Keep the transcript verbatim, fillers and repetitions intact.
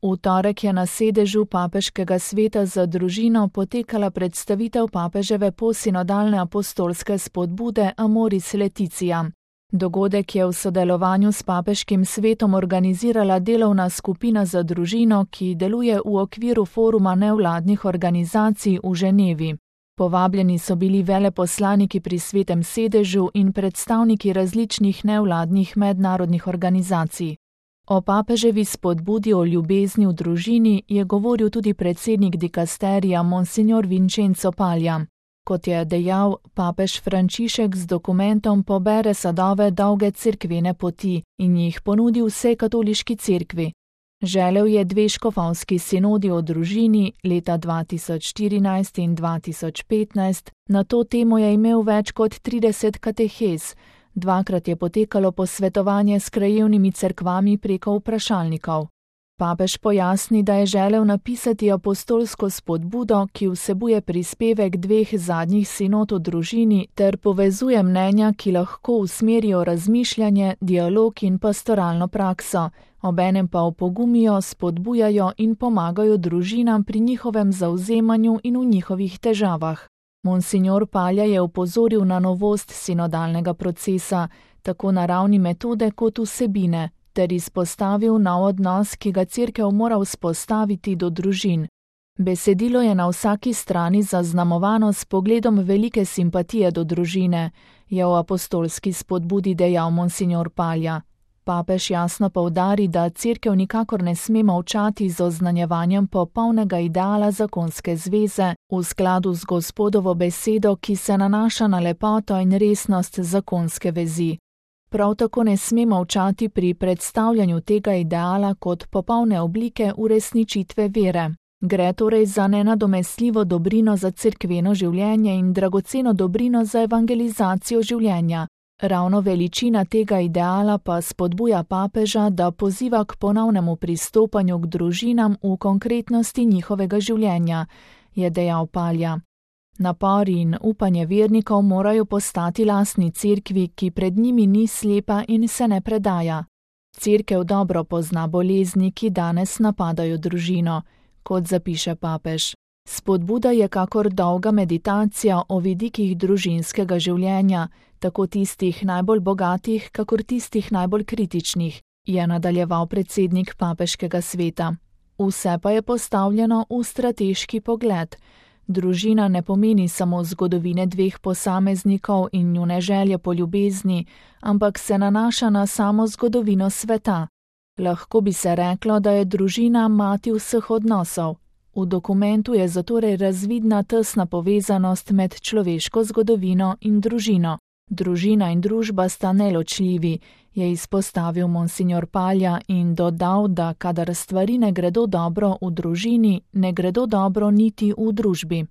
V torek je na sedežu Papeškega sveta za družino potekala predstavitev papeževe posinodalne apostolske spodbude Amoris Laetitia. Dogodek je v sodelovanju s Papeškim svetom organizirala delovna skupina za družino, ki deluje v okviru foruma nevladnih organizacij v Ženevi. Povabljeni so bili veleposlaniki pri svetem sedežu in predstavniki različnih nevladnih mednarodnih organizacij. O papeževi spodbudi o ljubezni v družini je govoril tudi predsednik dikasterija Monsignor Vincenzo Paglia. Kot je dejal, papež Frančišek z dokumentom pobere sadove dolge cerkvene poti in jih ponudi vsej katoliški cerkvi. Želel je dve škofovski sinodi o družini leta dva tisoč štirinajst in dva tisoč petnajst, na to temo je imel več kot trideset katehez, dvakrat je potekalo posvetovanje s krajevnimi cerkvami preko vprašalnikov. Papež pojasni, da je želel napisati apostolsko spodbudo, ki vsebuje prispevek dveh zadnjih sinod o družini ter povezuje mnenja, ki lahko usmerijo razmišljanje, dialog in pastoralno prakso, obenem pa opogumijo, spodbujajo in pomagajo družinam pri njihovem zavzemanju in v njihovih težavah. Monsignor Paglia je opozoril na novost sinodalnega procesa, tako na ravni metode kot vsebine, ter izpostavil nov odnos, ki ga cerkev mora vzpostaviti do družin. Besedilo je na vsaki strani zaznamovano s pogledom velike simpatije do družine, je v apostolski spodbudi dejal Monsignor Paglia. Papež jasno poudari, da cerkev nikakor ne sme molčati z oznanjevanjem popolnega ideala zakonske zveze v skladu z Gospodovo besedo, ki se nanaša na lepoto in resnost zakonske vezi. Prav tako ne sme molčati pri predstavljanju tega ideala kot popolne oblike uresničitve vere. Gre torej za nenadomestljivo dobrino za cerkveno življenje in dragoceno dobrino za evangelizacijo življenja. Ravno veličina tega ideala pa spodbuja papeža, da poziva k ponovnemu pristopanju k družinam v konkretnosti njihovega življenja, je dejal Paglia. Napori in upanje vernikov morajo postati lastni cerkvi, ki pred njimi ni slepa in se ne predaja. Cerkev dobro pozna bolezni, ki danes napadajo družino, kot zapiše papež. Spodbuda je kakor dolga meditacija o vidikih družinskega življenja, tako tistih najbolj bogatih, kakor tistih najbolj kritičnih, je nadaljeval predsednik Papeškega sveta. Vse pa je postavljeno v strateški pogled. Družina ne pomeni samo zgodovine dveh posameznikov in njune želje po ljubezni, ampak se nanaša na samo zgodovino sveta. Lahko bi se reklo, da je družina mati vseh odnosov. V dokumentu je zatorej razvidna tesna povezanost med človeško zgodovino in družino. Družina in družba sta neločljivi, je izpostavil Monsignor Paglia in dodal, da kadar stvari ne gredo dobro v družini, ne gredo dobro niti v družbi.